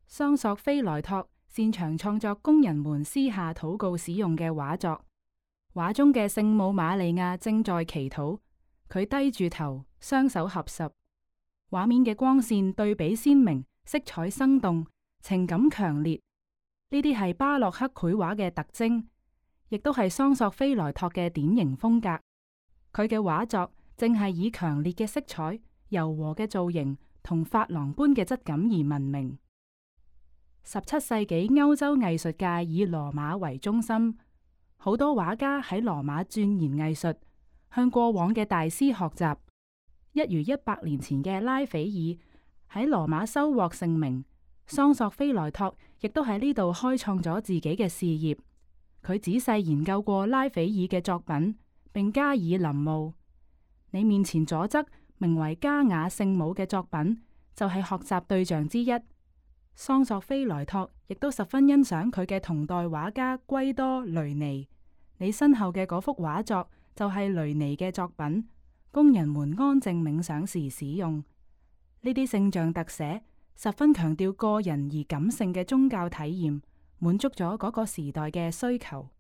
桑索菲萊托擅長創作工人們私下禱告使用嘅畫作。畫中嘅聖母瑪利亞正在祈禱，佢低住頭，雙手合十。畫面嘅光線對比鮮明，色彩生動，情感強烈。呢啲係巴洛克繪畫嘅特徵，亦都係桑索菲萊托嘅典型風格。佢嘅畫作正係以強烈嘅色彩、柔和嘅造型同珐琅般嘅質感而聞名。17世紀歐洲藝術界以羅馬為中心，好多畫家喺羅馬鑽研藝術，向過往嘅大師學習。一如100年前嘅拉斐爾喺羅馬收穫盛名，桑索菲萊托亦都喺呢度開創咗自己嘅事業。佢仔細研究過拉斐爾嘅作品，並加以臨摹。你面前左側名為加雅聖母嘅作品，就係學習對象之一。桑索菲萊托亦都十分欣賞佢嘅同代畫家圭多雷尼。你身後嘅嗰幅畫作就係雷尼嘅作品，工人們安靜冥想時使用。呢啲聖像特寫十分強調個人而感性嘅宗教體驗，滿足咗嗰個時代嘅需求。